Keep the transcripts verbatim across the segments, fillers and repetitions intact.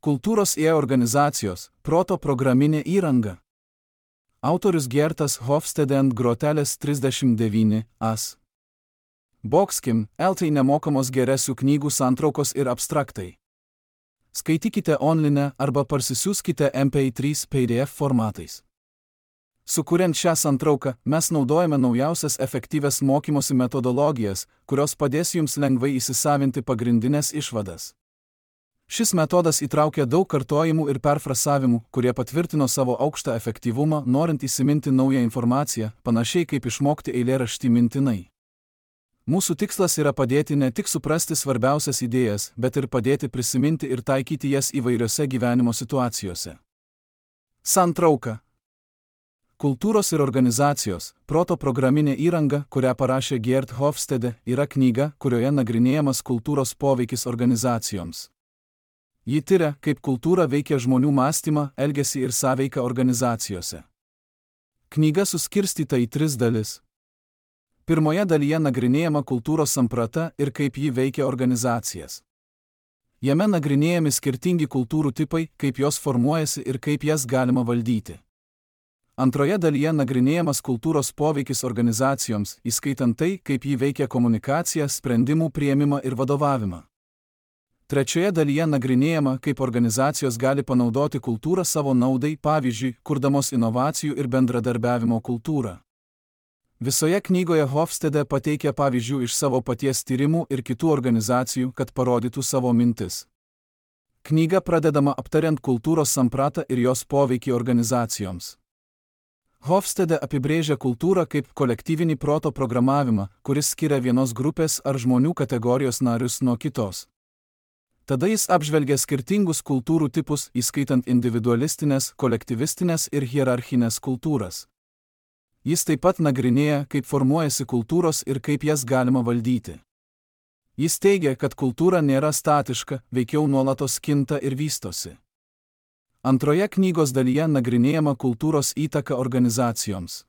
Kultūros ir organizacijos – proto programinė įranga. Autorius Gertas Hofstede ant grotelės trisdešimt devyni as. Bokskim, eltai nemokamos geresių knygų santraukos ir abstraktai. Skaitykite online arba parsisiųskite em pe trys pe de ef formatais. Sukuriant šią santrauką, mes naudojame naujausias efektyvias mokymosi metodologijas, kurios padės jums lengvai įsisavinti pagrindinės išvadas. Šis metodas įtraukia daug kartojimų ir perfrasavimų, kurie patvirtino savo aukštą efektyvumą, norint įsiminti naują informaciją, panašiai kaip išmokti eilėraštį mintinai. Mūsų tikslas yra padėti ne tik suprasti svarbiausias idėjas, bet ir padėti prisiminti ir taikyti jas įvairiose gyvenimo situacijose. Santrauka. Kultūros ir organizacijos – proto programinė įranga, kurią parašė Gert Hofstede, yra knyga, kurioje nagrinėjamas kultūros poveikis organizacijoms. Ji tiria, kaip kultūra veikia žmonių mąstymą, elgesį ir sąveiką organizacijose. Knyga suskirstyta į tris dalis. Pirmoje dalyje nagrinėjama kultūros samprata ir kaip ji veikia organizacijas. Jame nagrinėjami skirtingi kultūrų tipai, kaip jos formuojasi ir kaip jas galima valdyti. Antroje dalyje nagrinėjamas kultūros poveikis organizacijoms, įskaitant tai, kaip ji veikia komunikaciją, sprendimų priėmimą ir vadovavimą. Trečioje dalyje nagrinėjama, kaip organizacijos gali panaudoti kultūrą savo naudai, pavyzdžiui, kurdamos inovacijų ir bendradarbiavimo kultūrą. Visoje knygoje Hofstede pateikia pavyzdžių iš savo paties tyrimų ir kitų organizacijų, kad parodytų savo mintis. Knyga pradedama aptariant kultūros sampratą ir jos poveikį organizacijoms. Hofstede apibrėžia kultūrą kaip kolektyvinį proto programavimą, kuris skiria vienos grupės ar žmonių kategorijos narius nuo kitos. Tada jis apžvelgia skirtingus kultūrų tipus, įskaitant individualistinės, kolektyvistinės ir hierarchinės kultūras. Jis taip pat nagrinėja, kaip formuojasi kultūros ir kaip jas galima valdyti. Jis teigia, kad kultūra nėra statiška, veikiau nuolatos kinta ir vystosi. Antroje knygos dalyje nagrinėjama kultūros įtaka organizacijoms.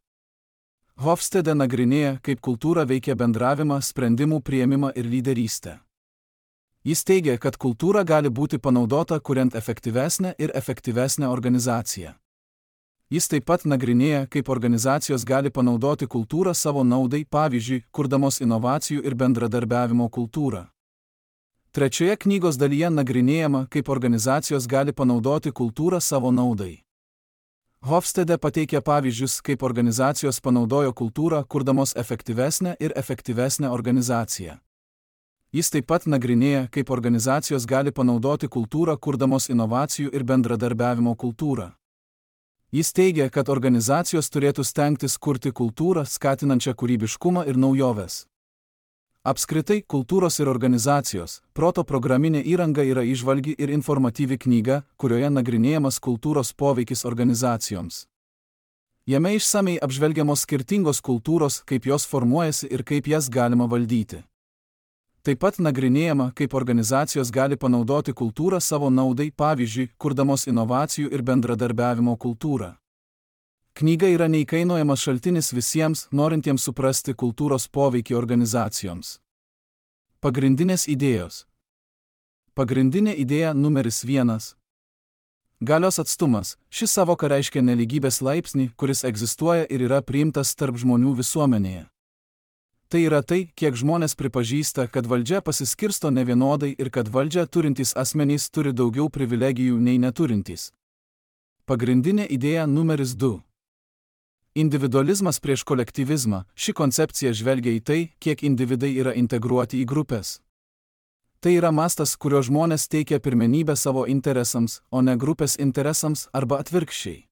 Hofstede nagrinėja, kaip kultūra veikia bendravimą, sprendimų priėmimą ir lyderystę. Jis teigia, kad kultūra gali būti panaudota kuriant efektyvesnę ir efektyvesnę organizaciją. Jis taip pat nagrinėja, kaip organizacijos gali panaudoti kultūrą savo naudai, pavyzdžiui, kurdamos inovacijų ir bendradarbiavimo kultūrą. Trečioje knygos dalyje nagrinėjama, kaip organizacijos gali panaudoti kultūrą savo naudai. Hofstede pateikia pavyzdžius, kaip organizacijos panaudojo kultūrą, kurdamos efektyvesnę ir efektyvesnę organizaciją. Jis taip pat nagrinėja, kaip organizacijos gali panaudoti kultūrą, kurdamos inovacijų ir bendradarbiavimo kultūrą. Jis teigia, kad organizacijos turėtų stengtis kurti kultūrą, skatinančią kūrybiškumą ir naujoves. Apskritai, kultūros ir organizacijos – proto programinė įranga yra įžvalgi ir informatyvi knyga, kurioje nagrinėjamas kultūros poveikis organizacijoms. Jame išsamei apžvelgiamos skirtingos kultūros, kaip jos formuojasi ir kaip jas galima valdyti. Taip pat nagrinėjama, kaip organizacijos gali panaudoti kultūrą savo naudai, pavyzdžiui, kurdamos inovacijų ir bendradarbiavimo kultūrą. Knyga yra neįkainojamas šaltinis visiems, norintiems suprasti kultūros poveikį organizacijoms. Pagrindinės idėjos. Pagrindinė idėja numeris vienas. Galios atstumas. Ši savoka reiškia nelygybės laipsnį, kuris egzistuoja ir yra priimtas tarp žmonių visuomenėje. Tai yra tai, kiek žmonės pripažįsta, kad valdžia pasiskirsto nevienodai ir kad valdžia turintys asmenys turi daugiau privilegijų nei neturintys. Pagrindinė idėja numeris du. Individualizmas prieš kolektyvizmą. Ši koncepcija žvelgia į tai, kiek individai yra integruoti į grupės. Tai yra mastas, kurio žmonės teikia pirmenybę savo interesams, o ne grupės interesams arba atvirkščiai.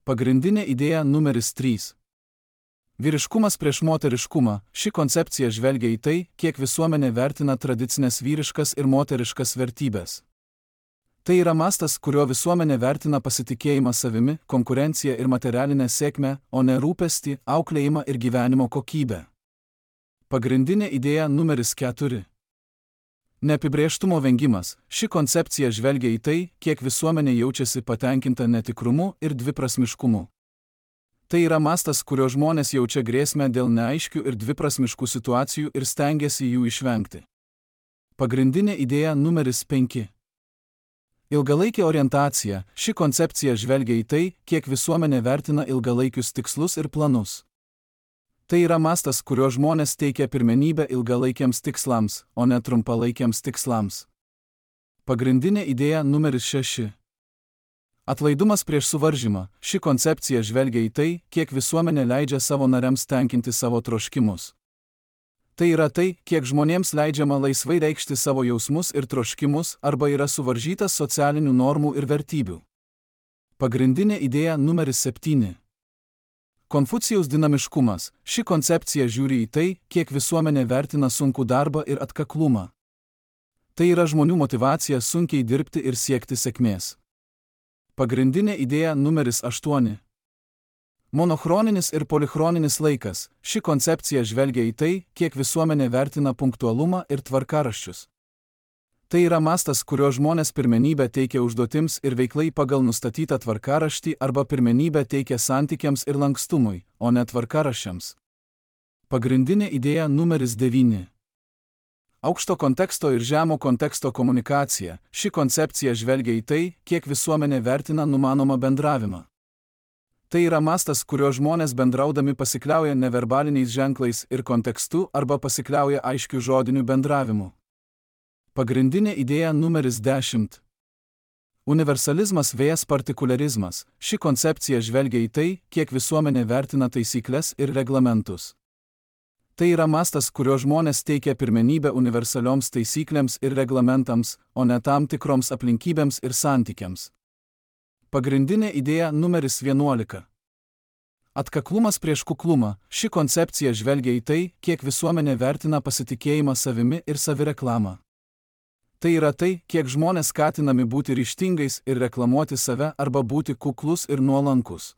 Pagrindinė idėja numeris trys. Vyriškumas prieš moteriškumą. Ši koncepcija žvelgia į tai, kiek visuomenė vertina tradicinės vyriškas ir moteriškas vertybės. Tai yra mastas, kurio visuomenė vertina pasitikėjimą savimi, konkurenciją ir materialinę sėkmę, o ne rūpestį, auklėjimą ir gyvenimo kokybę. Pagrindinė idėja numeris keturi. Neapibrėžtumo vengimas. Ši koncepcija žvelgia į tai, kiek visuomenė jaučiasi patenkinta netikrumu ir dviprasmiškumu. Tai yra mastas, kurio žmonės jaučia grėsmę dėl neaiškių ir dviprasmiškų situacijų ir stengiasi jų išvengti. Pagrindinė idėja numeris penki. Ilgalaikė orientacija. Ši koncepcija žvelgia į tai, kiek visuomenė vertina ilgalaikius tikslus ir planus. Tai yra mastas, kurio žmonės teikia pirmenybę ilgalaikiams tikslams, o ne trumpalaikiams tikslams. Pagrindinė idėja numeris šeši. Atlaidumas prieš suvaržymą. Ši koncepcija žvelgia į tai, kiek visuomenė leidžia savo nariams tenkinti savo troškimus. Tai yra tai, kiek žmonėms leidžiama laisvai reikšti savo jausmus ir troškimus arba yra suvaržytas socialinių normų ir vertybių. Pagrindinė idėja numeris septyni. Konfucijaus dinamiškumas. Ši koncepcija žiūri į tai, kiek visuomenė vertina sunkų darbą ir atkaklumą. Tai yra žmonių motyvacija sunkiai dirbti ir siekti sėkmės. Pagrindinė idėja numeris aštuoni. Monochroninis ir polichroninis laikas. Ši koncepcija žvelgia į tai, kiek visuomenė vertina punktualumą ir tvarkaraščius. Tai yra mastas, kurio žmonės pirmenybę teikia užduotims ir veiklai pagal nustatytą tvarkaraštį arba pirmenybę teikia santykiams ir lankstumui, o ne tvarkaraščiams. Pagrindinė idėja numeris devyni. Aukšto konteksto ir žemo konteksto komunikacija. Ši koncepcija žvelgia į tai, kiek visuomenė vertina numanomą bendravimą. Tai yra mastas, kurio žmonės bendraudami pasikliauja neverbaliniais ženklais ir kontekstu arba pasikliauja aiškiu žodiniu bendravimu. Pagrindinė idėja numeris dešimt. Universalizmas vs partikularizmas. Ši koncepcija žvelgia į tai, kiek visuomenė vertina taisyklės ir reglamentus. Tai yra mastas, kurio žmonės teikia pirmenybę universalioms taisyklėms ir reglamentams, o ne tam tikroms aplinkybėms ir santykiams. Pagrindinė idėja numeris vienuolika. Atkaklumas prieš kuklumą. Ši koncepcija žvelgia į tai, kiek visuomenė vertina pasitikėjimą savimi ir savireklamą. Tai yra tai, kiek žmonės skatinami būti ryžtingais ir reklamuoti save arba būti kuklus ir nuolankus.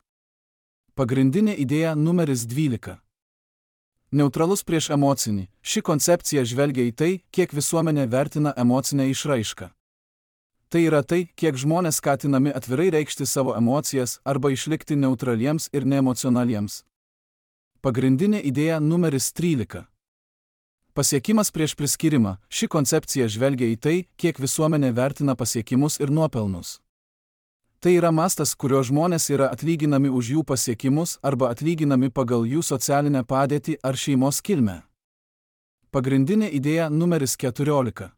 Pagrindinė idėja numeris dvylika. Neutralus prieš emocinį. Ši koncepcija žvelgia į tai, kiek visuomenė vertina emocinę išraišką. Tai yra tai, kiek žmonės skatinami atvirai reikšti savo emocijas arba išlikti neutraliems ir neemocionaliems. Pagrindinė idėja numeris trylika. Pasiekimas prieš priskyrimą. Ši koncepcija žvelgia į tai, kiek visuomenė vertina pasiekimus ir nuopelnus. Tai yra mastas, kurio žmonės yra atlyginami už jų pasiekimus arba atlyginami pagal jų socialinę padėtį ar šeimos kilmę. Pagrindinė idėja numeris keturiolika.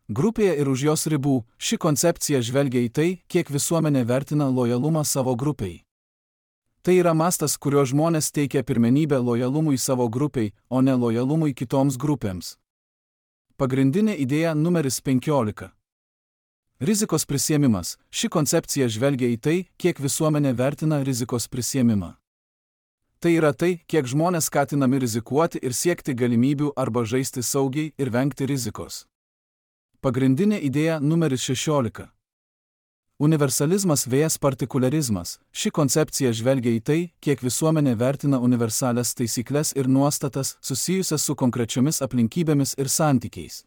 Grupėje ir už jos ribų. Ši koncepcija žvelgia į tai, kiek visuomenė vertina lojalumą savo grupiai. Tai yra mastas, kurio žmonės teikia pirmenybę lojalumui savo grupiai, o ne lojalumui kitoms grupėms. Pagrindinė idėja numeris penkiolika. Rizikos prisiėmimas. Ši koncepcija žvelgia į tai, kiek visuomenė vertina rizikos prisiėmimą. Tai yra tai, kiek žmonės skatinami rizikuoti ir siekti galimybių arba žaisti saugiai ir vengti rizikos. Pagrindinė idėja numeris šešiolika. Universalizmas vs partikularizmas. Ši koncepcija žvelgia į tai, kiek visuomenė vertina universalias taisyklės ir nuostatas susijusias su konkrečiomis aplinkybėmis ir santykiais.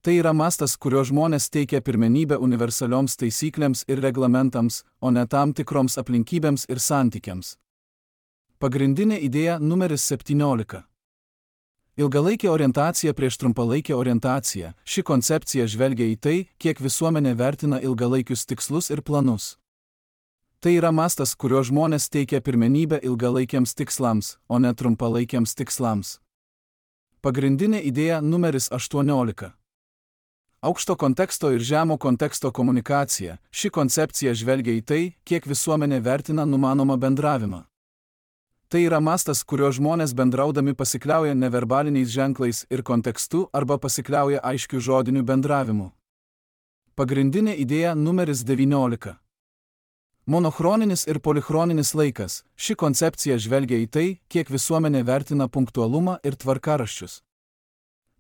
Tai yra mastas, kurio žmonės teikia pirmenybę universalioms taisyklėms ir reglamentams, o ne tam tikroms aplinkybėms ir santykiams. Pagrindinė idėja numeris septyniolika. Ilgalaikė orientacija prieš trumpalaikę orientaciją. Ši koncepcija žvelgia į tai, kiek visuomenė vertina ilgalaikius tikslus ir planus. Tai yra mastas, kurio žmonės teikia pirmenybę ilgalaikiams tikslams, o ne trumpalaikiams tikslams. Pagrindinė idėja numeris aštuoniolika. Aukšto konteksto ir žemo konteksto komunikacija. Ši koncepcija žvelgia į tai, kiek visuomenė vertina numanomą bendravimą. Tai yra mastas, kurio žmonės bendraudami pasikliauja neverbaliniais ženklais ir kontekstu arba pasikliauja aiškiu žodiniu bendravimu. Pagrindinė idėja numeris devyniolika. Monochroninis ir polichroninis laikas. Ši koncepcija žvelgia į tai, kiek visuomenė vertina punktualumą ir tvarkaraščius.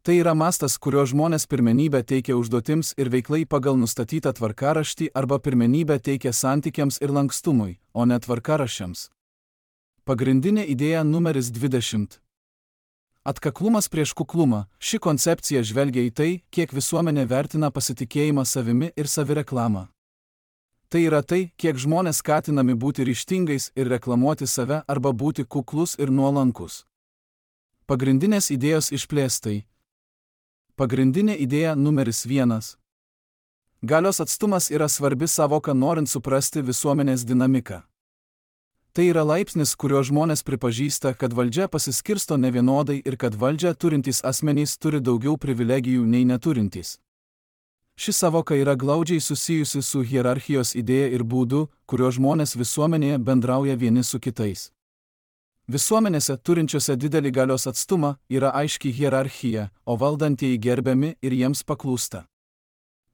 Tai yra mastas, kurio žmonės pirmenybę teikia užduotims ir veiklai pagal nustatytą tvarkaraštį arba pirmenybę teikia santykiams ir lankstumui, o ne tvarkaraščiams. Pagrindinė idėja numeris dvidešimt. Atkaklumas prieš kuklumą. Ši koncepcija žvelgia į tai, kiek visuomenė vertina pasitikėjimą savimi ir savireklamą. Tai yra tai, kiek žmonės skatinami būti ryžtingais ir reklamuoti save arba būti kuklus ir nuolankus. Pagrindinės idėjos išplėstai. Pagrindinė idėja numeris vienas. Galios atstumas yra svarbi sąvoka norint suprasti visuomenės dinamiką. Tai yra laipsnis, kuriuo žmonės pripažįsta, kad valdžia pasiskirsto nevienodai ir kad valdžią turintys asmenys turi daugiau privilegijų nei neturintys. Ši sąvoka yra glaudžiai susijusi su hierarchijos idėja ir būdu, kuriuo žmonės visuomenėje bendrauja vieni su kitais. Visuomenėse, turinčiose didelį galios atstumą, yra aiški hierarchija, o valdantieji gerbiami ir jiems paklūsta.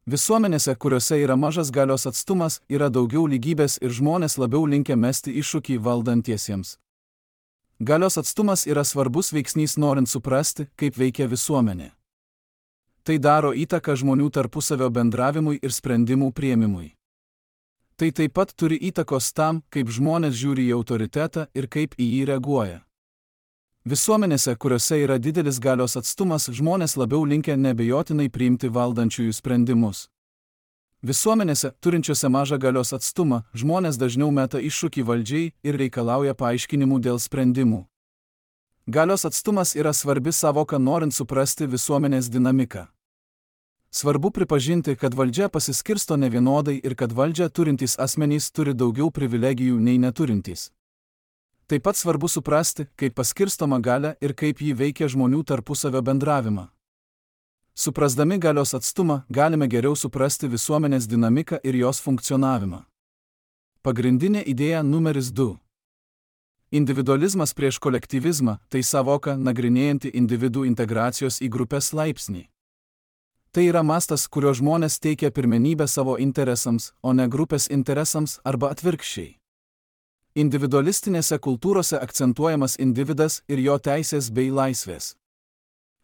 Visuomenėse, kuriuose yra mažas galios atstumas, yra daugiau lygybės ir žmonės labiau linkę mesti iššūkį valdantiesiems. Galios atstumas yra svarbus veiksnys norint suprasti, kaip veikia visuomenė. Tai daro įtaką žmonių tarpusavio bendravimui ir sprendimų priėmimui. Tai taip pat turi įtakos tam, kaip žmonės žiūri į autoritetą ir kaip į jį reaguoja. Visuomenėse, kuriuose yra didelis galios atstumas, žmonės labiau linkę neabejotinai priimti valdančiųjų sprendimus. Visuomenėse, turinčiose mažą galios atstumą, žmonės dažniau meta iššūkį valdžiai ir reikalauja paaiškinimų dėl sprendimų. Galios atstumas yra svarbi sąvoka norint suprasti visuomenės dinamiką. Svarbu pripažinti, kad valdžia pasiskirsto nevienodai ir kad valdžią turintys asmenys turi daugiau privilegijų nei neturintys. Taip pat svarbu suprasti, kaip paskirstoma galia ir kaip ji veikia žmonių tarpusavio bendravimą. Suprasdami galios atstumą, galime geriau suprasti visuomenės dinamiką ir jos funkcionavimą. Pagrindinė idėja numeris du. Individualizmas prieš kolektyvizmą – tai sąvoka nagrinėjanti individų integracijos į grupės laipsnį. Tai yra mastas, kurio žmonės teikia pirmenybę savo interesams, o ne grupės interesams arba atvirkščiai. Individualistinėse kultūrose akcentuojamas individas ir jo teisės bei laisvės.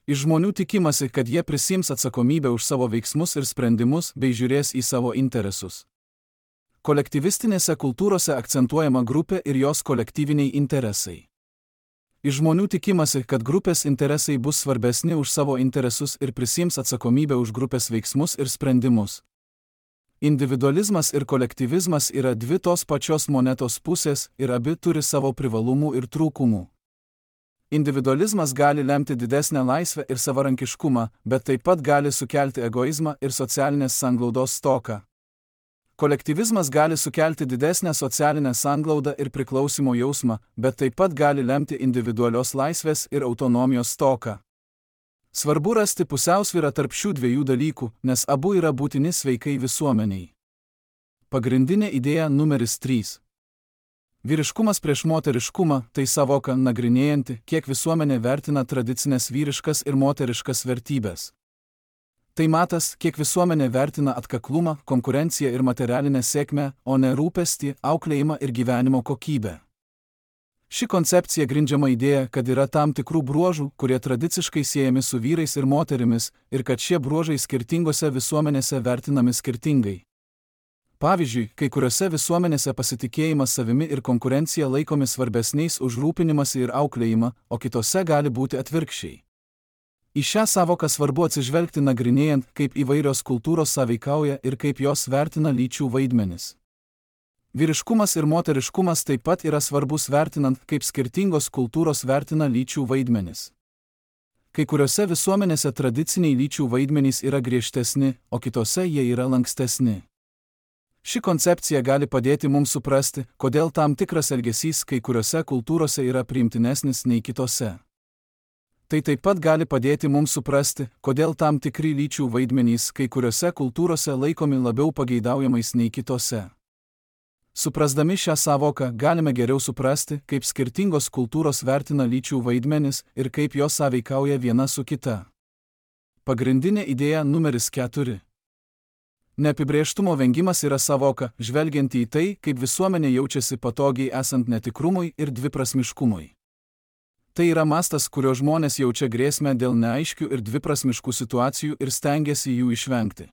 Iš žmonių tikimasi, kad jie prisiims atsakomybę už savo veiksmus ir sprendimus bei žiūrės į savo interesus. Kolektyvistinėse kultūrose akcentuojama grupė ir jos kolektyviniai interesai. Iš žmonių tikimasi, kad grupės interesai bus svarbesni už savo interesus ir prisiims atsakomybę už grupės veiksmus ir sprendimus. Individualizmas ir kolektyvizmas yra dvi tos pačios monetos pusės ir abi turi savo privalumų ir trūkumų. Individualizmas gali lemti didesnę laisvę ir savarankiškumą, bet taip pat gali sukelti egoizmą ir socialinės sanglaudos stoką. Kolektyvizmas gali sukelti didesnę socialinę sanglaudą ir priklausimo jausmą, bet taip pat gali lemti individualios laisvės ir autonomijos stoką. Svarbu rasti pusiausvyrą tarp šių dviejų dalykų, nes abu yra būtini sveikai visuomeniai. Pagrindinė idėja numeris trys. Vyriškumas prieš moteriškumą – tai sąvoka nagrinėjanti, kiek visuomenė vertina tradicinės vyriškas ir moteriškas vertybės. Tai matas, kiek visuomenė vertina atkaklumą, konkurenciją ir materialinę sėkmę, o ne rūpestį, auklėjimą ir gyvenimo kokybę. Ši koncepcija grindžiama idėja, kad yra tam tikrų bruožų, kurie tradiciškai siejami su vyrais ir moterimis, ir kad šie bruožai skirtingose visuomenėse vertinami skirtingai. Pavyzdžiui, kai kuriuose visuomenėse pasitikėjimas savimi ir konkurencija laikomi svarbesniais už rūpinimąsi ir auklėjimą, o kitose gali būti atvirkščiai. Į šią sąvoką svarbu atsižvelgti nagrinėjant, kaip įvairios kultūros sąveikauja ir kaip jos vertina lyčių vaidmenis. Vyriškumas ir moteriškumas taip pat yra svarbus vertinant, kaip skirtingos kultūros vertina lyčių vaidmenis. Kai kuriuose visuomenėse tradiciniai lyčių vaidmenys yra griežtesni, o kitose jie yra lankstesni. Ši koncepcija gali padėti mums suprasti, kodėl tam tikras elgesys kai kuriuose kultūrose yra priimtinesnis nei kitose. Tai taip pat gali padėti mums suprasti, kodėl tam tikri lyčių vaidmenys kai kuriuose kultūrose laikomi labiau pageidaujamais nei kitose. Suprasdami šią sąvoką galime geriau suprasti, kaip skirtingos kultūros vertina lyčių vaidmenis ir kaip jos sąveikauja viena su kita. Pagrindinė idėja numeris keturi. Neapibrėžtumo vengimas yra sąvoka, žvelgianti į tai, kaip visuomenė jaučiasi patogiai esant netikrumui ir dviprasmiškumui. Tai yra mastas, kurio žmonės jaučia grėsmę dėl neaiškių ir dviprasmiškų situacijų ir stengiasi jų išvengti.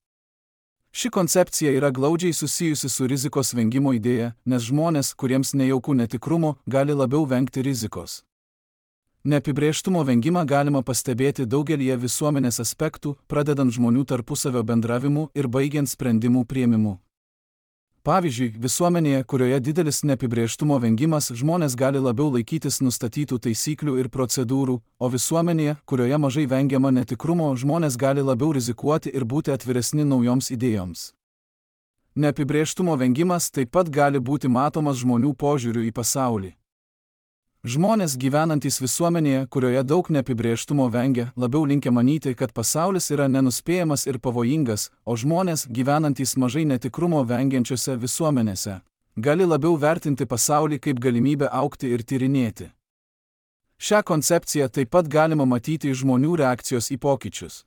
Ši koncepcija yra glaudžiai susijusi su rizikos vengimo idėja, nes žmonės, kuriems nejauku netikrumo, gali labiau vengti rizikos. Neapibrėžtumo vengimą galima pastebėti daugelyje visuomenės aspektų, pradedant žmonių tarpusavio bendravimu ir baigiant sprendimų priėmimu. Pavyzdžiui, visuomenėje, kurioje didelis neapibrėžtumo vengimas, žmonės gali labiau laikytis nustatytų taisyklių ir procedūrų, o visuomenėje, kurioje mažai vengiama netikrumo, žmonės gali labiau rizikuoti ir būti atviresni naujoms idėjoms. Neapibrėžtumo vengimas taip pat gali būti matomas žmonių požiūriu į pasaulį. Žmonės gyvenantys visuomenėje, kurioje daug neapibrėžtumo vengia, labiau linkę manyti, kad pasaulis yra nenuspėjamas ir pavojingas, o žmonės, gyvenantys mažai netikrumo vengiančiose visuomenėse, gali labiau vertinti pasaulį kaip galimybę augti ir tyrinėti. Šią koncepciją taip pat galima matyti iš žmonių reakcijos į pokyčius.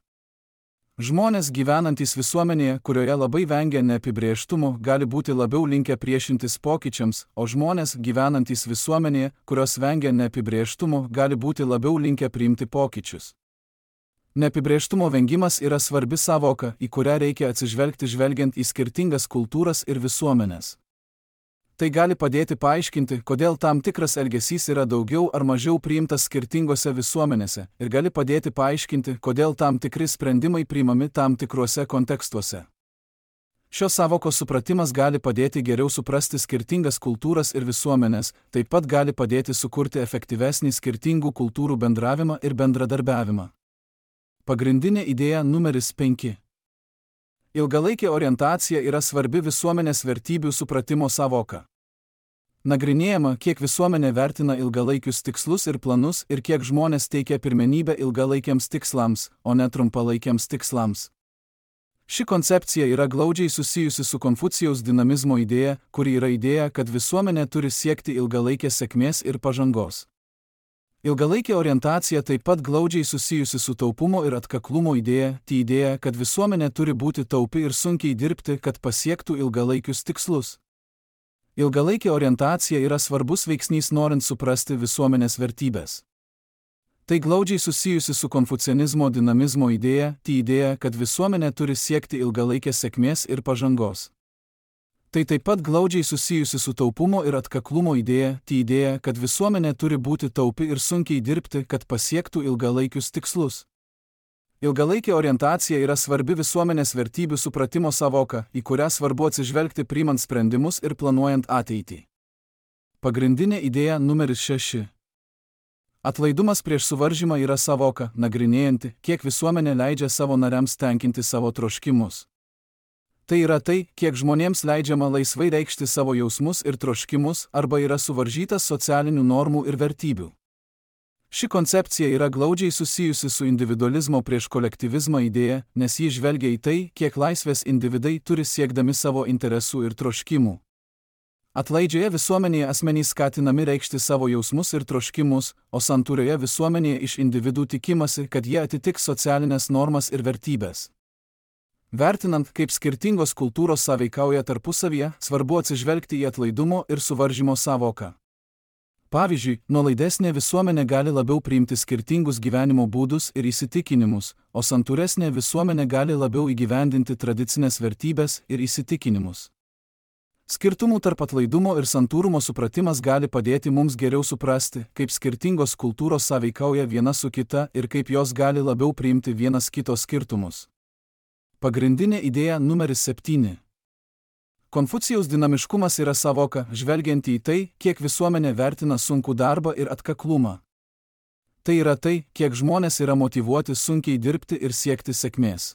Žmonės gyvenantys visuomenėje, kurioje labai vengia neapibrėžtumo, gali būti labiau linkę priešintis pokyčiams, o žmonės gyvenantys visuomenėje, kurios vengia neapibrėžtumo, gali būti labiau linkę priimti pokyčius. Neapibrėžtumo vengimas yra svarbi sąvoka, į kurią reikia atsižvelgti žvelgiant į skirtingas kultūras ir visuomenes. Tai gali padėti paaiškinti, kodėl tam tikras elgesys yra daugiau ar mažiau priimtas skirtingose visuomenėse, ir gali padėti paaiškinti, kodėl tam tikri sprendimai priimami tam tikruose kontekstuose. Šios sąvokos supratimas gali padėti geriau suprasti skirtingas kultūras ir visuomenės, taip pat gali padėti sukurti efektyvesnį skirtingų kultūrų bendravimą ir bendradarbiavimą. Pagrindinė idėja numeris penki. Ilgalaikė orientacija yra svarbi visuomenės vertybių supratimo sąvoka. Nagrinėjama, kiek visuomenė vertina ilgalaikius tikslus ir planus ir kiek žmonės teikia pirmenybę ilgalaikiams tikslams, o ne trumpalaikiams tikslams. Ši koncepcija yra glaudžiai susijusi su Konfucijaus dinamizmo idėja, kuri yra idėja, kad visuomenė turi siekti ilgalaikės sėkmės ir pažangos. Ilgalaikė orientacija taip pat glaudžiai susijusi su taupumo ir atkaklumo idėja, tai idėja, kad visuomenė turi būti taupi ir sunkiai dirbti, kad pasiektų ilgalaikius tikslus. Ilgalaikė orientacija yra svarbus veiksnys norint suprasti visuomenės vertybės. Tai glaudžiai susijusi su konfucianizmo dinamizmo idėja, tai idėja, kad visuomenė turi siekti ilgalaikės sėkmės ir pažangos. Tai taip pat glaudžiai susijusi su taupumo ir atkaklumo idėja, tai idėja, kad visuomenė turi būti taupi ir sunkiai dirbti, kad pasiektų ilgalaikius tikslus. Ilgalaikė orientacija yra svarbi visuomenės vertybių supratimo sąvoka, į kurią svarbu atsižvelgti priimant sprendimus ir planuojant ateitį. Pagrindinė idėja numeris šeši. Atlaidumas prieš suvaržymą yra sąvoka, nagrinėjanti, kiek visuomenė leidžia savo nariams tenkinti savo troškimus. Tai yra tai, kiek žmonėms leidžiama laisvai reikšti savo jausmus ir troškimus arba yra suvaržytas socialinių normų ir vertybių. Ši koncepcija yra glaudžiai susijusi su individualizmo prieš kolektyvizmą idėja, nes ji žvelgia į tai, kiek laisvės individai turi siekdami savo interesų ir troškimų. Atlaidžioje visuomenėje asmenys skatinami reikšti savo jausmus ir troškimus, o santūrioje visuomenėje iš individų tikimasi, kad jie atitiks socialinės normas ir vertybės. Vertinant, kaip skirtingos kultūros sąveikauja tarpusavyje, svarbu atsižvelgti į atlaidumo ir suvaržymo sąvoką. Pavyzdžiui, nuolaidesnė visuomenė gali labiau priimti skirtingus gyvenimo būdus ir įsitikinimus, o santūresnė visuomenė gali labiau įgyvendinti tradicinės vertybės ir įsitikinimus. Skirtumų tarp atlaidumo ir santūrumo supratimas gali padėti mums geriau suprasti, kaip skirtingos kultūros sąveikauja viena su kita ir kaip jos gali labiau priimti vienas kito skirtumus. Pagrindinė idėja numeris septyni. Konfucijaus dinamiškumas yra sąvoka, žvelgianti į tai, kiek visuomenė vertina sunkų darbą ir atkaklumą. Tai yra tai, kiek žmonės yra motyvuoti sunkiai dirbti ir siekti sėkmės.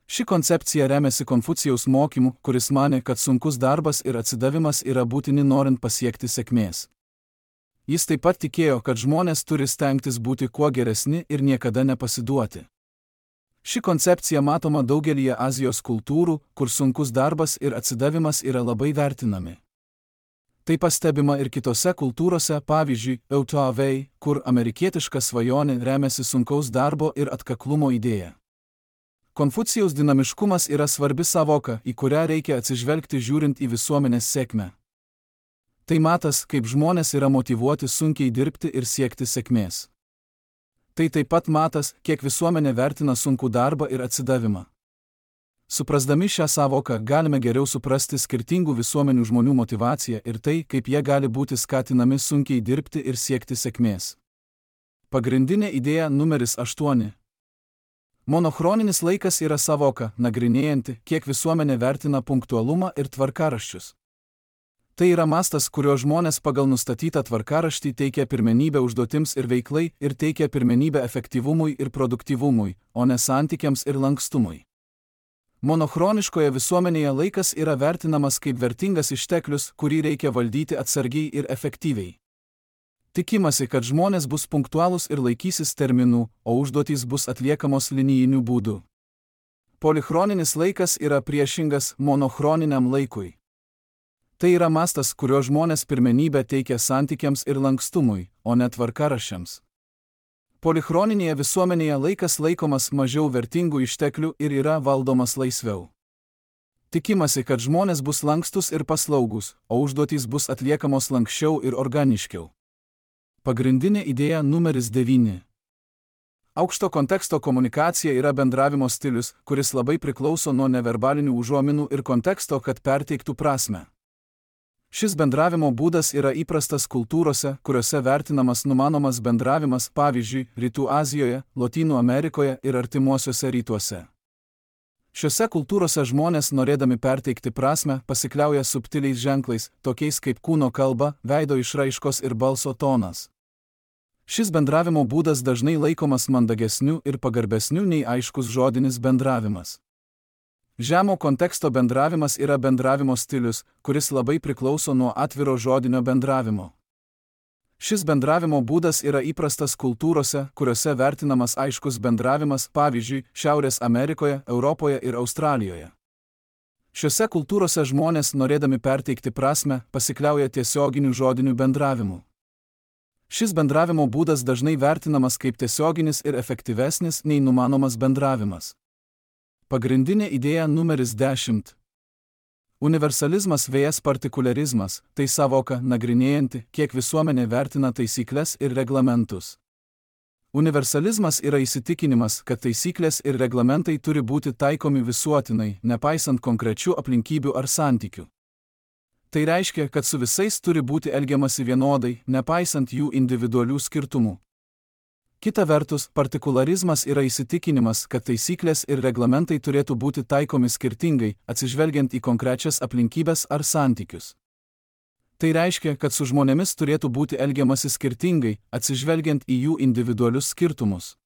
Ši koncepcija remiasi Konfucijaus mokymu, kuris manė, kad sunkus darbas ir atsidavimas yra būtini norint pasiekti sėkmės. Jis taip pat tikėjo, kad žmonės turi stengtis būti kuo geresni ir niekada nepasiduoti. Ši koncepcija matoma daugelyje Azijos kultūrų, kur sunkus darbas ir atsidavimas yra labai vertinami. Tai pastebima ir kitose kultūrose, pavyzdžiui, Eutavei, kur amerikietiška svajonė remiasi sunkaus darbo ir atkaklumo idėja. Konfucijaus dinamiškumas yra svarbi sąvoka, į kurią reikia atsižvelgti žiūrint į visuomenės sėkmę. Tai matas, kaip žmonės yra motyvuoti sunkiai dirbti ir siekti sėkmės. Tai taip pat matas, kiek visuomenė vertina sunkų darbą ir atsidavimą. Suprasdami šią sąvoką galime geriau suprasti skirtingų visuomenių žmonių motyvaciją ir tai, kaip jie gali būti skatinami sunkiai dirbti ir siekti sėkmės. Pagrindinė idėja numeris aštuoni. Monochroninis laikas yra sąvoka, nagrinėjanti, kiek visuomenė vertina punktualumą ir tvarkaraščius. Tai yra mastas, kurio žmonės pagal nustatytą tvarkaraštį teikia pirmenybę užduotims ir veiklai ir teikia pirmenybę efektyvumui ir produktyvumui, o ne santykiams ir lankstumui. Monochroniškoje visuomenėje laikas yra vertinamas kaip vertingas išteklius, kurį reikia valdyti atsargiai ir efektyviai. Tikimasi, kad žmonės bus punktualūs ir laikysis terminų, o užduotys bus atliekamos linijiniu būdu. Polichroninis laikas yra priešingas monochroniniam laikui. Tai yra mastas, kurio žmonės pirmenybę teikia santykiams ir lankstumui, o ne tvarkaraščiams. Polichroninėje visuomenėje laikas laikomas mažiau vertingų išteklių ir yra valdomas laisviau. Tikimasi, kad žmonės bus lankstus ir paslaugus, o užduotys bus atliekamos lankščiau ir organiškiau. Pagrindinė idėja numeris devyni. Aukšto konteksto komunikacija yra bendravimo stilius, kuris labai priklauso nuo neverbalinių užuominų ir konteksto, kad perteiktų prasmę. Šis bendravimo būdas yra įprastas kultūrose, kuriuose vertinamas numanomas bendravimas, pavyzdžiui, Rytų Azijoje, Lotynų Amerikoje ir Artimuosiuose rytuose. Šiuose kultūrose žmonės, norėdami perteikti prasmę, pasikliauja subtiliais ženklais, tokiais kaip kūno kalba, veido išraiškos ir balso tonas. Šis bendravimo būdas dažnai laikomas mandagesniu ir pagarbesniu nei aiškus žodinis bendravimas. Žemo konteksto bendravimas yra bendravimo stilius, kuris labai priklauso nuo atviro žodinio bendravimo. Šis bendravimo būdas yra įprastas kultūrose, kuriuose vertinamas aiškus bendravimas, pavyzdžiui, Šiaurės Amerikoje, Europoje ir Australijoje. Šiuose kultūrose žmonės, norėdami perteikti prasmę, pasikliauja tiesioginiu žodiniu bendravimu. Šis bendravimo būdas dažnai vertinamas kaip tiesioginis ir efektyvesnis nei numanomas bendravimas. Pagrindinė idėja numeris dešimt. Universalizmas vs partikularizmas – tai savoka nagrinėjanti, kiek visuomenė vertina taisyklės ir reglamentus. Universalizmas yra įsitikinimas, kad taisyklės ir reglamentai turi būti taikomi visuotinai, nepaisant konkrečių aplinkybių ar santykių. Tai reiškia, kad su visais turi būti elgiamasi vienodai, nepaisant jų individualių skirtumų. Kita vertus, partikularizmas yra įsitikinimas, kad taisyklės ir reglamentai turėtų būti taikomi skirtingai, atsižvelgiant į konkrečias aplinkybės ar santykius. Tai reiškia, kad su žmonėmis turėtų būti elgiamasi skirtingai, atsižvelgiant į jų individualius skirtumus.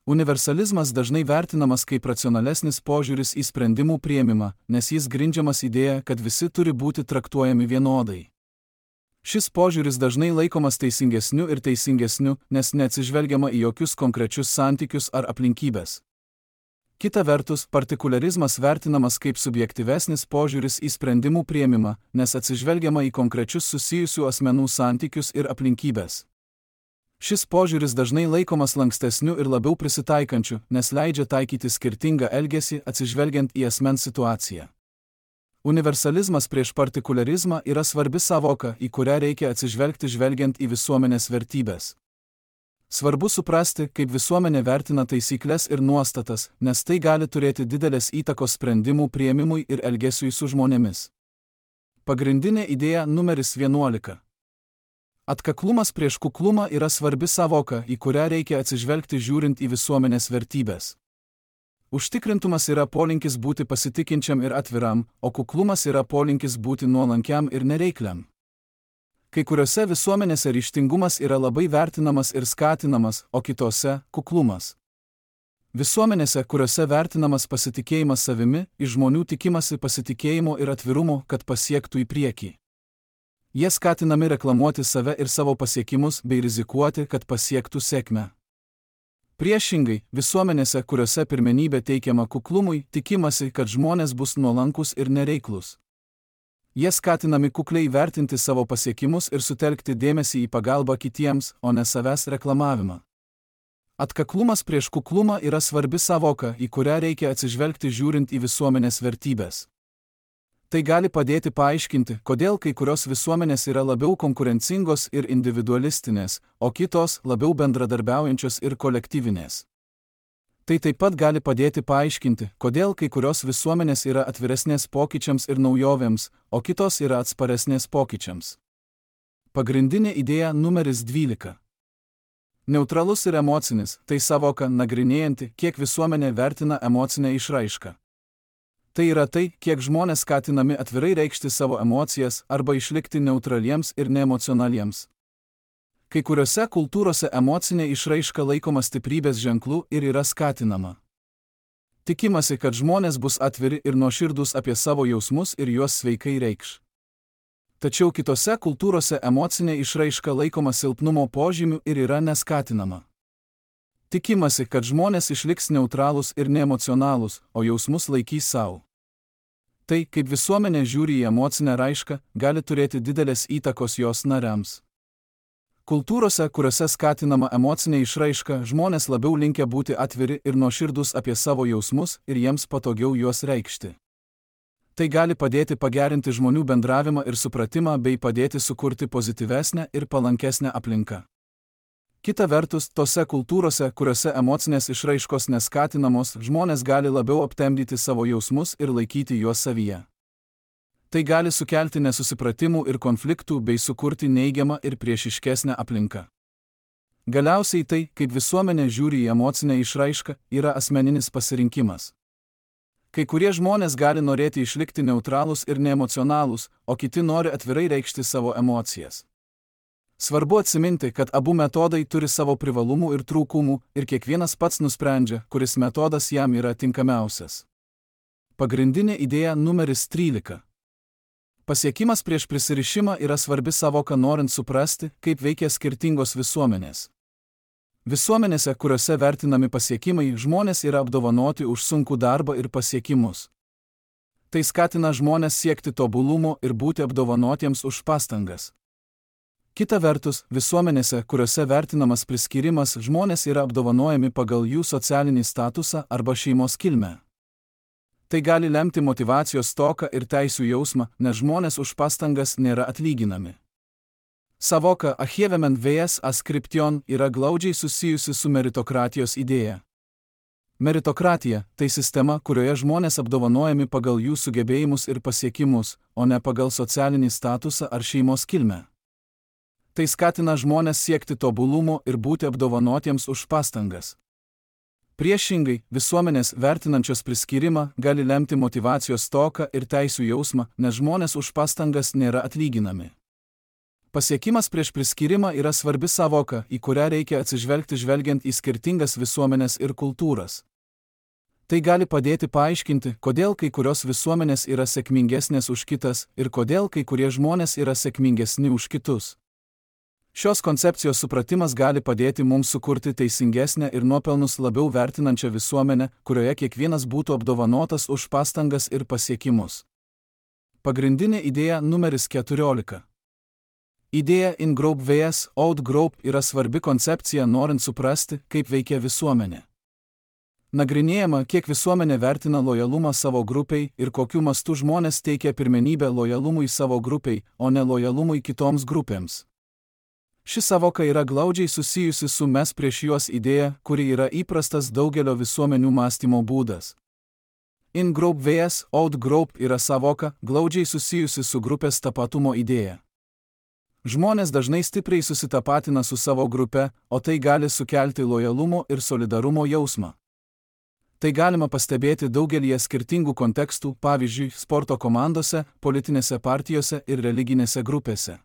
Universalizmas dažnai vertinamas kaip racionalesnis požiūris į sprendimų priėmimą, nes jis grindžiamas idėja, kad visi turi būti traktuojami vienodai. Šis požiūris dažnai laikomas teisingesniu ir teisingesniu, nes neatsižvelgiama į jokius konkrečius santykius ar aplinkybės. Kita vertus, partikularizmas vertinamas kaip subjektyvesnis požiūris į sprendimų priėmimą, nes atsižvelgiama į konkrečius susijusių asmenų santykius ir aplinkybės. Šis požiūris dažnai laikomas lankstesniu ir labiau prisitaikančiu, nes leidžia taikyti skirtingą elgesį atsižvelgiant į asmens situaciją. Universalizmas prieš partikularizmą yra svarbi savoka, į kurią reikia atsižvelgti žvelgiant į visuomenės vertybės. Svarbu suprasti, kaip visuomenė vertina taisyklės ir nuostatas, nes tai gali turėti didelės įtakos sprendimų priėmimui ir elgesiui su žmonėmis. Pagrindinė idėja numeris vienuolika. Atkaklumas prieš kuklumą yra svarbi savoka, į kurią reikia atsižvelgti žiūrint į visuomenės vertybės. Užtikrintumas yra polinkis būti pasitikinčiam ir atviram, o kuklumas yra polinkis būti nuolankiam ir nereikliam. Kai kuriuose visuomenėse ryžtingumas yra labai vertinamas ir skatinamas, o kitose – kuklumas. Visuomenėse, kuriuose vertinamas pasitikėjimas savimi, iš žmonių tikimasi pasitikėjimo ir atvirumo, kad pasiektų į priekį. Jie skatinami reklamuoti save ir savo pasiekimus bei rizikuoti, kad pasiektų sėkmę. Priešingai, visuomenėse, kuriuose pirmenybė teikiama kuklumui, tikimasi, kad žmonės bus nuolankus ir nereiklus. Jie skatinami kukliai vertinti savo pasiekimus ir sutelkti dėmesį į pagalbą kitiems, o ne savęs reklamavimą. Atkaklumas prieš kuklumą yra svarbi savoka, į kurią reikia atsižvelgti žiūrint į visuomenės vertybės. Tai gali padėti paaiškinti, kodėl kai kurios visuomenės yra labiau konkurencingos ir individualistinės, o kitos labiau bendradarbiaujančios ir kolektyvinės. Tai taip pat gali padėti paaiškinti, kodėl kai kurios visuomenės yra atviresnės pokyčiams ir naujovėms, o kitos yra atsparesnės pokyčiams. Pagrindinė idėja numeris dvylika. Neutralus ir emocinis, tai savoka nagrinėjanti, kiek visuomenė vertina emocinę išraišką. Tai yra tai, kiek žmonės skatinami atvirai reikšti savo emocijas arba išlikti neutraliems ir neemocionaliems. Kai kuriuose kultūrose emocinė išraiška laikoma stiprybės ženklu ir yra skatinama. Tikimasi, kad žmonės bus atviri ir nuoširdūs apie savo jausmus ir juos sveikai reikš. Tačiau kitose kultūrose emocinė išraiška laikoma silpnumo požymiu ir yra neskatinama. Tikimasi, kad žmonės išliks neutralūs ir neemocionalūs, o jausmus laikys savo. Tai, kaip visuomenė žiūri į emocinę raišką, gali turėti didelės įtakos jos nariams. Kultūrose, kuriuose skatinama emocinė išraiška, žmonės labiau linkę būti atviri ir nuoširdūs apie savo jausmus ir jiems patogiau juos reikšti. Tai gali padėti pagerinti žmonių bendravimą ir supratimą bei padėti sukurti pozityvesnę ir palankesnę aplinką. Kita vertus, tose kultūrose, kuriuose emocinės išraiškos neskatinamos, žmonės gali labiau aptemdyti savo jausmus ir laikyti juos savyje. Tai gali sukelti nesusipratimų ir konfliktų bei sukurti neigiamą ir priešiškesnę aplinką. Galiausiai tai, kaip visuomenė žiūri į emocinę išraišką, yra asmeninis pasirinkimas. Kai kurie žmonės gali norėti išlikti neutralūs ir neemocionalūs, o kiti nori atvirai reikšti savo emocijas. Svarbu atsiminti, kad abu metodai turi savo privalumų ir trūkumų ir kiekvienas pats nusprendžia, kuris metodas jam yra tinkamiausias. Pagrindinė idėja numeris trylika. Pasiekimas prieš prisirišimą yra svarbi savoka norint suprasti, kaip veikia skirtingos visuomenės. Visuomenėse, kuriuose vertinami pasiekimai, žmonės yra apdovanoti už sunkų darbą ir pasiekimus. Tai skatina žmonės siekti tobulumo ir būti apdovanotiems už pastangas. Kita vertus, visuomenėse, kuriuose vertinamas priskyrimas, žmonės yra apdovanojami pagal jų socialinį statusą arba šeimos kilmę. Tai gali lemti motyvacijos stoką ir teisių jausmą, nes žmonės už pastangas nėra atlyginami. Savoka achievement vs ascription yra glaudžiai susijusi su meritokratijos idėja. Meritokratija – tai sistema, kurioje žmonės apdovanojami pagal jų sugebėjimus ir pasiekimus, o ne pagal socialinį statusą ar šeimos kilmę. Tai skatina žmonės siekti tobulumo ir būti apdovanotiems už pastangas. Priešingai, visuomenės vertinančios priskyrimą gali lemti motyvacijos stoką ir teisių jausmą, nes žmonės už pastangas nėra atlyginami. Pasiekimas prieš priskyrimą yra svarbi savoka, į kurią reikia atsižvelgti žvelgiant į skirtingas visuomenės ir kultūras. Tai gali padėti paaiškinti, kodėl kai kurios visuomenės yra sėkmingesnės už kitas ir kodėl kai kurie žmonės yra sėkmingesni už kitus. Šios koncepcijos supratimas gali padėti mums sukurti teisingesnę ir nuopelnus labiau vertinančią visuomenę, kurioje kiekvienas būtų apdovanotas už pastangas ir pasiekimus. Pagrindinė idėja numeris keturiolika. Idėja in-group vs out-group yra svarbi koncepcija norint suprasti, kaip veikia visuomenė. Nagrinėjama, kiek visuomenė vertina lojalumą savo grupiai ir kokiu mastu žmonės teikia pirmenybę lojalumui savo grupiai, o ne lojalumui kitoms grupėms. Ši savoka yra glaudžiai susijusi su mes prieš juos idėja, kuri yra įprastas daugelio visuomenių mąstymo būdas. In-group vs out-group yra savoka, glaudžiai susijusi su grupės tapatumo idėja. Žmonės dažnai stipriai susitapatina su savo grupe, o tai gali sukelti lojalumo ir solidarumo jausmą. Tai galima pastebėti daugelyje skirtingų kontekstų, pavyzdžiui, sporto komandose, politinėse partijose ir religinėse grupėse.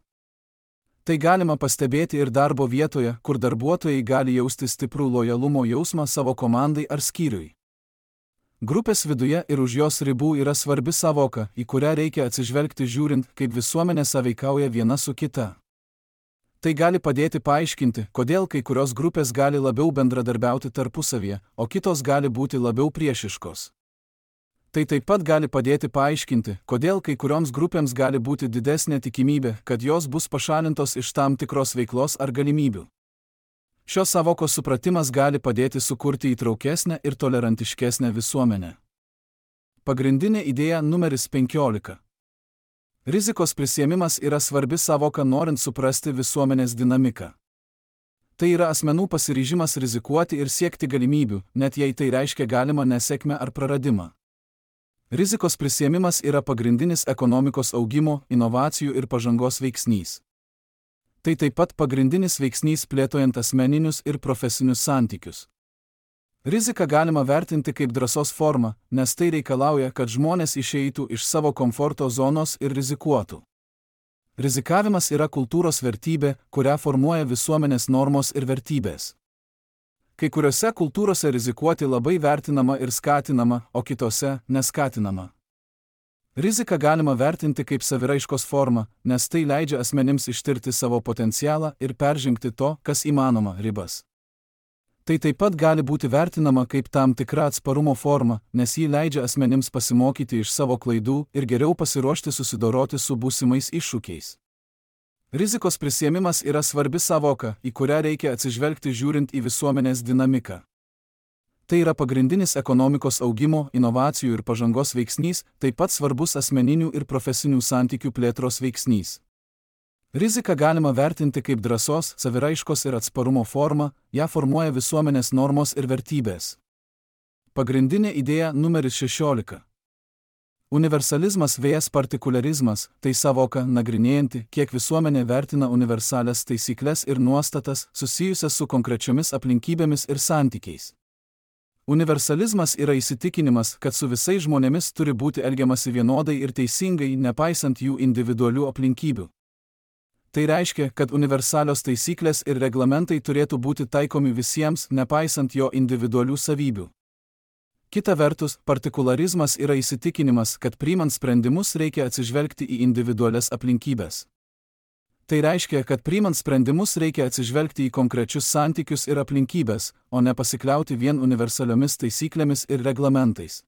Tai galima pastebėti ir darbo vietoje, kur darbuotojai gali jausti stiprų lojalumo jausmą savo komandai ar skyriui. Grupės viduje ir už jos ribų yra svarbi savoka, į kurią reikia atsižvelgti žiūrint, kaip visuomenė sąveikauja viena su kita. Tai gali padėti paaiškinti, kodėl kai kurios grupės gali labiau bendradarbiauti tarpusavyje, o kitos gali būti labiau priešiškos. Tai taip pat gali padėti paaiškinti, kodėl kai kurioms grupėms gali būti didesnė tikimybė, kad jos bus pašalintos iš tam tikros veiklos ar galimybių. Šios savokos supratimas gali padėti sukurti įtraukesnę ir tolerantiškesnę visuomenę. Pagrindinė idėja numeris penkiolika. Rizikos prisiėmimas yra svarbi savoka norint suprasti visuomenės dinamiką. Tai yra asmenų pasiryžimas rizikuoti ir siekti galimybių, net jei tai reiškia galimą nesėkmę ar praradimą. Rizikos prisiėmimas yra pagrindinis ekonomikos augimo, inovacijų ir pažangos veiksnys. Tai taip pat pagrindinis veiksnys plėtojant asmeninius ir profesinius santykius. Riziką galima vertinti kaip drąsos formą, nes tai reikalauja, kad žmonės išeitų iš savo komforto zonos ir rizikuotų. Rizikavimas yra kultūros vertybė, kurią formuoja visuomenės normos ir vertybės. Kai kuriuose kultūrose rizikuoti labai vertinama ir skatinama, o kitose neskatinama. Riziką galima vertinti kaip saviraiškos formą, nes tai leidžia asmenims ištirti savo potencialą ir peržengti to, kas įmanoma, ribas. Tai taip pat gali būti vertinama kaip tam tikra atsparumo forma, nes ji leidžia asmenims pasimokyti iš savo klaidų ir geriau pasiruošti susidoroti su būsimais iššūkiais. Rizikos prisiėmimas yra svarbi sąvoka, į kurią reikia atsižvelgti žiūrint į visuomenės dinamiką. Tai yra pagrindinis ekonomikos augimo, inovacijų ir pažangos veiksnys, taip pat svarbus asmeninių ir profesinių santykių plėtros veiksnys. Riziką galima vertinti kaip drąsos, saviraiškos ir atsparumo formą, ją formuoja visuomenės normos ir vertybės. Pagrindinė idėja numeris šešiolika. Universalizmas vs partikularizmas – tai sąvoka nagrinėjanti, kiek visuomenė vertina universalias taisykles ir nuostatas susijusias su konkrečiomis aplinkybėmis ir santykiais. Universalizmas yra įsitikinimas, kad su visais žmonėmis turi būti elgiamasi vienodai ir teisingai, nepaisant jų individualių aplinkybių. Tai reiškia, kad universalios taisyklės ir reglamentai turėtų būti taikomi visiems, nepaisant jo individualių savybių. Kita vertus, partikularizmas yra įsitikinimas, kad priimant sprendimus reikia atsižvelgti į individualias aplinkybės. Tai reiškia, kad priimant sprendimus reikia atsižvelgti į konkrečius santykius ir aplinkybės, o ne pasikliauti vien universaliomis taisyklėmis ir reglamentais.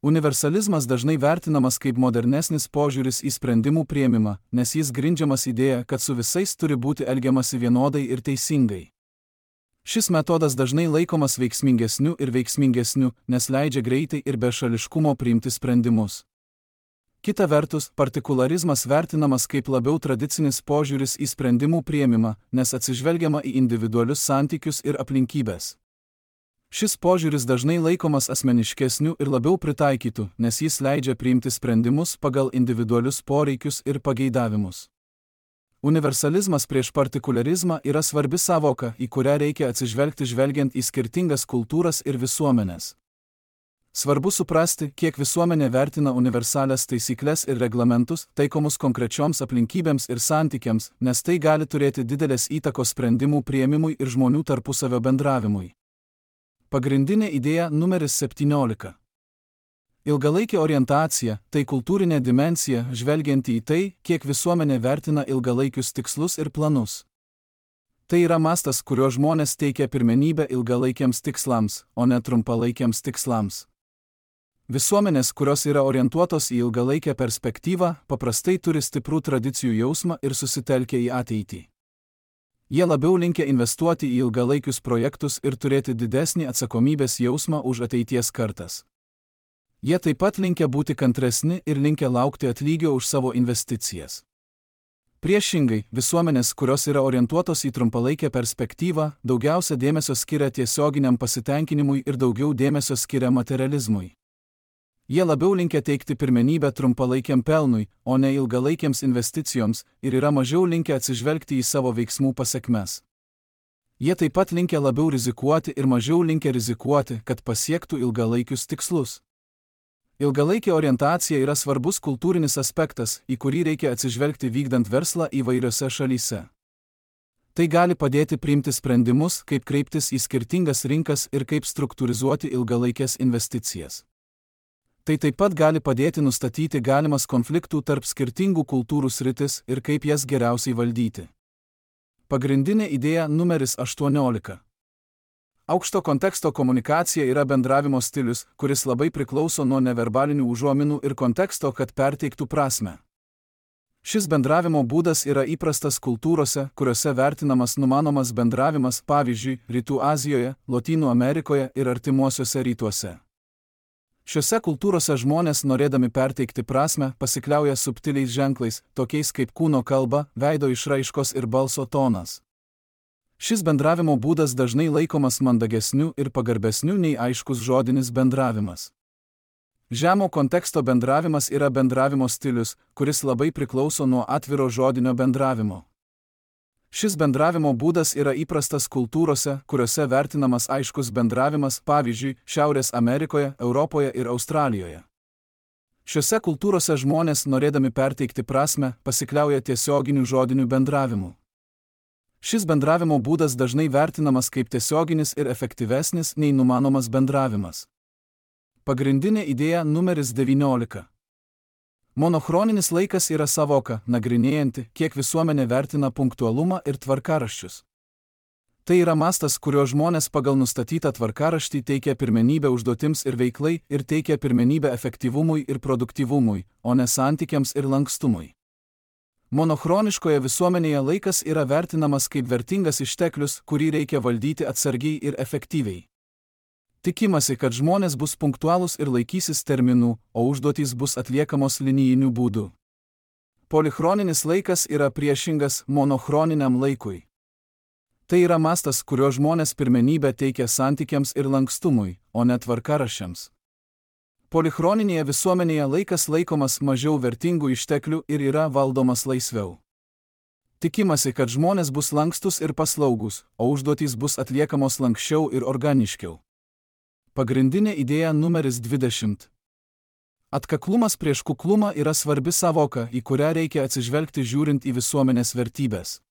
Universalizmas dažnai vertinamas kaip modernesnis požiūris į sprendimų priėmimą, nes jis grindžiamas idėja, kad su visais turi būti elgiamasi vienodai ir teisingai. Šis metodas dažnai laikomas veiksmingesniu ir veiksmingesniu, nes leidžia greitai ir be šališkumo priimti sprendimus. Kita vertus, partikularizmas vertinamas kaip labiau tradicinis požiūris į sprendimų priėmimą, nes atsižvelgiama į individualius santykius ir aplinkybės. Šis požiūris dažnai laikomas asmeniškesniu ir labiau pritaikytu, nes jis leidžia priimti sprendimus pagal individualius poreikius ir pageidavimus. Universalizmas prieš partikularizmą yra svarbi sąvoka, į kurią reikia atsižvelgti žvelgiant į skirtingas kultūras ir visuomenes. Svarbu suprasti, kiek visuomenė vertina universalias taisyklės ir reglamentus, taikomus konkrečioms aplinkybėms ir santykiams, nes tai gali turėti didelės įtakos sprendimų priėmimui ir žmonių tarpusavio bendravimui. Pagrindinė idėja numeris septyniolika. Ilgalaikė orientacija – tai kultūrinė dimensija, žvelgianti į tai, kiek visuomenė vertina ilgalaikius tikslus ir planus. Tai yra mastas, kurio žmonės teikia pirmenybę ilgalaikiams tikslams, o ne trumpalaikiams tikslams. Visuomenės, kurios yra orientuotos į ilgalaikę perspektyvą, paprastai turi stiprų tradicijų jausmą ir susitelkia į ateitį. Jie labiau linkę investuoti į ilgalaikius projektus ir turėti didesnį atsakomybės jausmą už ateities kartas. Jie taip pat linkę būti kantresni ir linkę laukti atlygio už savo investicijas. Priešingai, visuomenės, kurios yra orientuotos į trumpalaikę perspektyvą, daugiausia dėmesio skiria tiesioginiam pasitenkinimui ir daugiau dėmesio skiria materializmui. Jie labiau linkę teikti pirmenybę trumpalaikiam pelnui, o ne ilgalaikiams investicijoms, ir yra mažiau linkę atsižvelgti į savo veiksmų pasekmes. Jie taip pat linkę labiau rizikuoti ir mažiau linkę rizikuoti, kad pasiektų ilgalaikius tikslus. Ilgalaikė orientacija yra svarbus kultūrinis aspektas, į kurį reikia atsižvelgti vykdant verslą įvairiose šalyse. Tai gali padėti priimti sprendimus, kaip kreiptis į skirtingas rinkas ir kaip struktūrizuoti ilgalaikės investicijas. Tai taip pat gali padėti nustatyti galimas konfliktų tarp skirtingų kultūrų sritis ir kaip jas geriausiai valdyti. Pagrindinė idėja numeris aštuoniolika. Aukšto konteksto komunikacija yra bendravimo stilius, kuris labai priklauso nuo neverbalinių užuominų ir konteksto, kad perteiktų prasmę. Šis bendravimo būdas yra įprastas kultūrose, kuriuose vertinamas numanomas bendravimas, pavyzdžiui, Rytų Azijoje, Lotynų Amerikoje ir Artimuosiuose rytuose. Šiuose kultūrose žmonės, norėdami perteikti prasmę, pasikliauja subtiliais ženklais, tokiais kaip kūno kalba, veido išraiškos ir balso tonas. Šis bendravimo būdas dažnai laikomas mandagesniu ir pagarbesniu nei aiškus žodinis bendravimas. Žemo konteksto bendravimas yra bendravimo stilius, kuris labai priklauso nuo atviro žodinio bendravimo. Šis bendravimo būdas yra įprastas kultūrose, kuriuose vertinamas aiškus bendravimas, pavyzdžiui, Šiaurės Amerikoje, Europoje ir Australijoje. Šiuose kultūrose žmonės, norėdami perteikti prasmę, pasikliauja tiesioginiu žodiniu bendravimu. Šis bendravimo būdas dažnai vertinamas kaip tiesioginis ir efektyvesnis nei numanomas bendravimas. Pagrindinė idėja numeris devyniolika. Monochroninis laikas yra savoka, nagrinėjanti, kiek visuomenė vertina punktualumą ir tvarkaraščius. Tai yra mastas, kurio žmonės pagal nustatytą tvarkaraštį teikia pirmenybę užduotims ir veiklai ir teikia pirmenybę efektyvumui ir produktyvumui, o ne santykiams ir lankstumui. Monochroniškoje visuomenėje laikas yra vertinamas kaip vertingas išteklius, kurį reikia valdyti atsargiai ir efektyviai. Tikimasi, kad žmonės bus punktualūs ir laikysis terminų, o užduotys bus atliekamos linijiniu būdu. Polichroninis laikas yra priešingas monochroniniam laikui. Tai yra mastas, kurio žmonės pirmenybę teikia santykiams ir lankstumui, o ne tvarkaraščiams. Polichroninėje visuomenėje laikas laikomas mažiau vertingų išteklių ir yra valdomas laisviau. Tikimasi, kad žmonės bus lankstus ir paslaugus, o užduotys bus atliekamos lankščiau ir organiškiau. Pagrindinė idėja numeris dvidešimt. Atkaklumas prieš kuklumą yra svarbi savoka, į kurią reikia atsižvelgti žiūrint į visuomenės vertybės.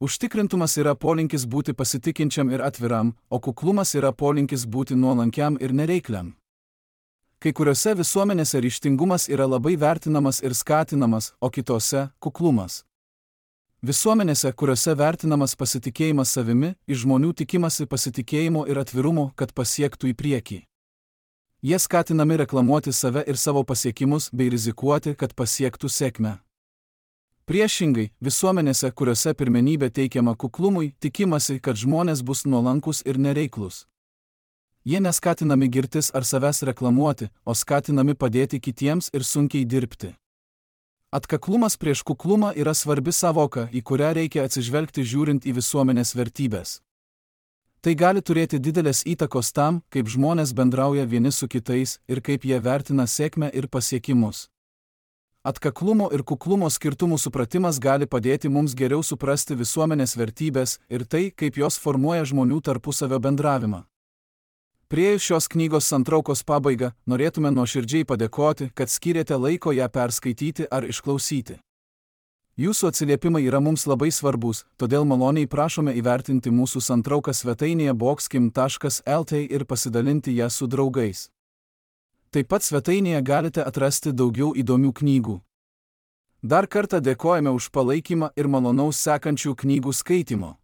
Užtikrintumas yra polinkis būti pasitikinčiam ir atviram, o kuklumas yra polinkis būti nuolankiam ir nereikliam. Kai kuriuose visuomenėse ryžtingumas yra labai vertinamas ir skatinamas, o kitose – kuklumas. Visuomenėse, kuriuose vertinamas pasitikėjimas savimi, iš žmonių tikimasi pasitikėjimo ir atvirumo, kad pasiektų į priekį. Jie skatinami reklamuoti save ir savo pasiekimus bei rizikuoti, kad pasiektų sėkmę. Priešingai, visuomenėse, kuriuose pirmenybė teikiama kuklumui, tikimasi, kad žmonės bus nuolankus ir nereiklus. Jie neskatinami girtis ar savęs reklamuoti, o skatinami padėti kitiems ir sunkiai dirbti. Atkaklumas prieš kuklumą yra svarbi savoka, į kurią reikia atsižvelgti žiūrint į visuomenės vertybės. Tai gali turėti didelės įtakos tam, kaip žmonės bendrauja vieni su kitais ir kaip jie vertina sėkmę ir pasiekimus. Atkaklumo ir kuklumo skirtumų supratimas gali padėti mums geriau suprasti visuomenės vertybės ir tai, kaip jos formuoja žmonių tarpusavio bendravimą. Priėjus šios knygos santraukos pabaigą, norėtume nuoširdžiai padėkoti, kad skyrėte laiko ją perskaityti ar išklausyti. Jūsų atsiliepimai yra mums labai svarbus, todėl maloniai prašome įvertinti mūsų santrauką svetainėje boxkim taškas lt ir pasidalinti ją su draugais. Taip pat svetainėje galite atrasti daugiau įdomių knygų. Dar kartą dėkojame už palaikymą ir malonaus sekančių knygų skaitimo.